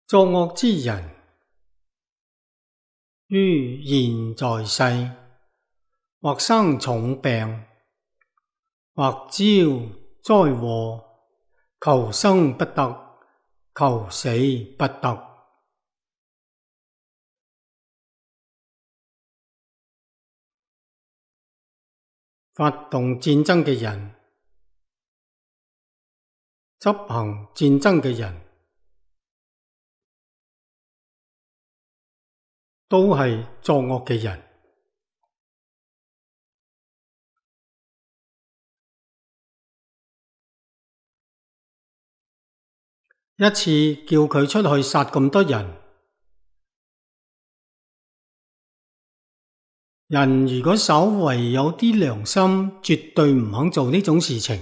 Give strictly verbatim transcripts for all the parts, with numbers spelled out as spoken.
作惡之人，於現在世，或生重病，或招災禍，求生不得，求死不得。發動戰爭嘅人，執行戰爭嘅人，都係作惡嘅人。一次叫佢出去殺咁多人，人如果稍為有啲良心，絕對唔肯做呢種事情。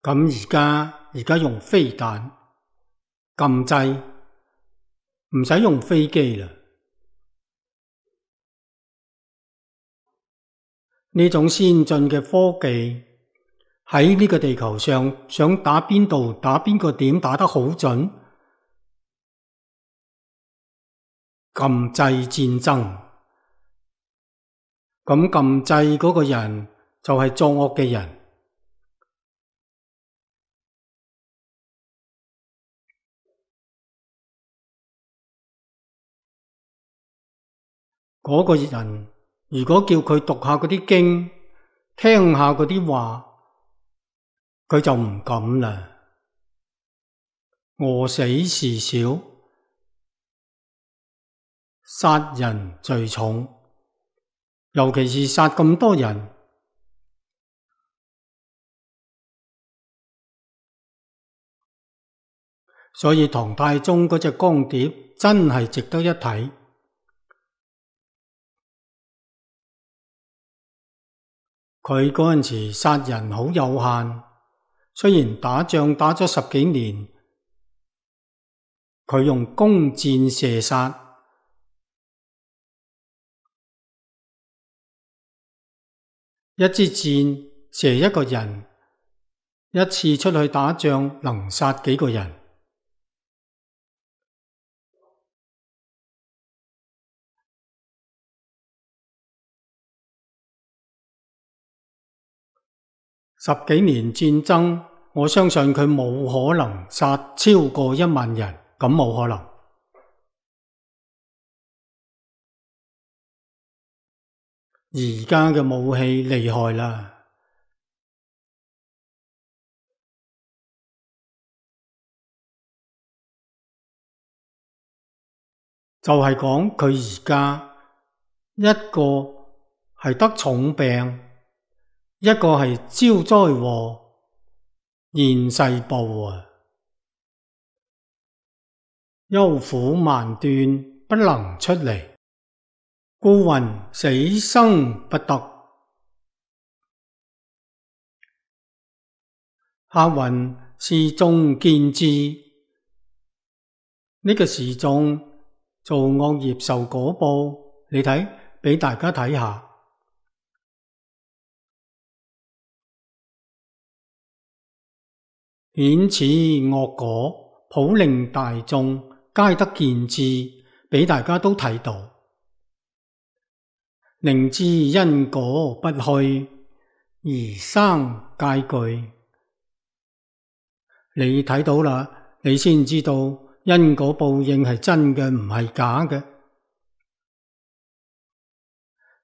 咁而家而家用飛彈禁制，唔使用飛機啦。呢種先進嘅科技喺呢個地球上，想打邊度打邊個點打得好準，禁制戰爭。咁禁制嗰個人就係作惡嘅人。嗰個人如果叫佢讀下嗰啲經，聽下嗰啲話，佢就唔敢啦。餓死事小，殺人罪重，尤其是殺咁多人。所以唐太宗嗰隻光碟真係值得一睇。佢嗰陣時殺人好有限，雖然打仗打咗十幾年，佢用弓箭射殺，一支箭射一個人，一次出去打仗能殺幾個人。十幾年戰爭，我相信佢冇可能殺超過一萬人，咁冇可能。而家嘅武器厲害啦，就係講佢而家一個係得重病，一個係招災禍，現世報啊，憂苦萬端，不能出離，故云死生不得。下云示眾見智，呢個示眾做惡業受果報，你睇，俾大家睇下。顯此惡果，普令大眾皆得見智，俾大家都睇到，令知因果不虛，而生戒懼。你睇到啦，你先知道因果報應係真嘅，唔係假嘅。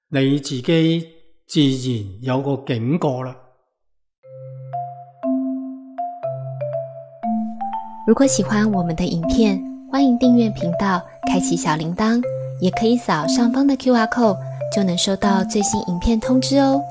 你自己自然有個警覺啦。如果喜歡我們的影片，歡迎訂閱頻道，開啟小鈴鐺，也可以掃上方的 Q R code，就能收到最新影片通知哦。